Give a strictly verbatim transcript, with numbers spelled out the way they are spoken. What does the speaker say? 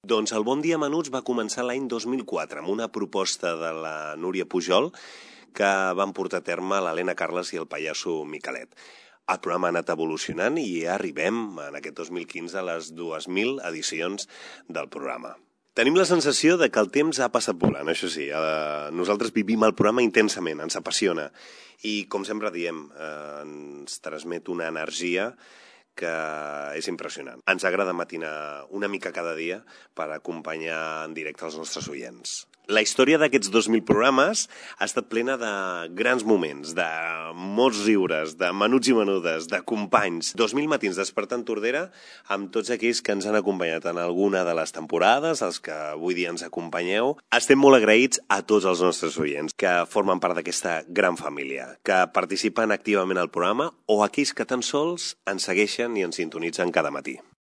Doncs el Bon Dia Menuts va començar l'any dos mil quatre amb una proposta de la Núria Pujol que van portar a terme l'Helena Carles i el pallasso Miquelet. El programa ha anat evolucionant i arribem en aquest dos mil quinze a les dues mil edicions del programa. Tenim la sensació de que el temps ha passat volant, això sí. Eh, nosaltres vivim el programa intensament, ens apassiona. I, com sempre diem, eh, ens transmet una energia que és impressionant. Ens agrada matinar una mica cada dia per acompanyar en directe els nostres oients. La història d'aquests dos mil programes ha estat plena de grans moments, de molts riures, de menuts i menudes, de companys. dos mil matins despertant Tordera amb tots aquells que ens han acompanyat en alguna de les temporades, els que avui dia ens acompanyeu. Estem molt agraïts a tots els nostres oients que formen part d'aquesta gran família, que participen activament al programa o aquells que tan sols ens segueixen i ens sintonitzen cada matí.